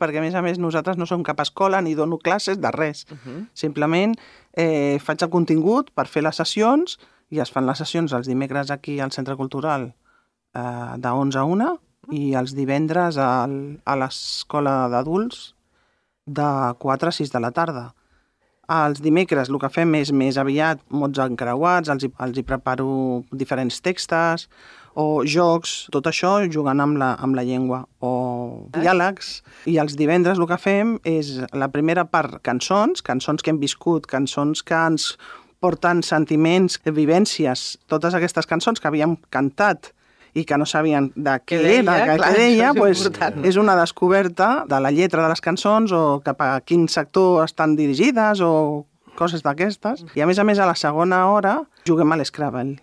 perquè a més nosaltres no som cap escola ni dono classes de res. Simplement faig el contingut per fer les sessions i es fan les sessions els dimecres aquí al Centre Cultural de 11 a 1 i els divendres a l'escola d'adults de 4 a 6 de la tarda. Els dimecres el que fem és més aviat mots encreuats, els hi preparo diferents textos o jocs, tot això jugant amb la llengua, o diàlegs. I els divendres el que fem és la primera part cançons que hem viscut, cançons que ens porten sentiments, vivències, totes aquestes cançons que havíem cantat i que no sabien de què deia, és una descoberta de la lletra de les cançons o cap a quin sector estan dirigides o coses d'aquestes. I a més, a la segona hora juguem a l'Scrabble.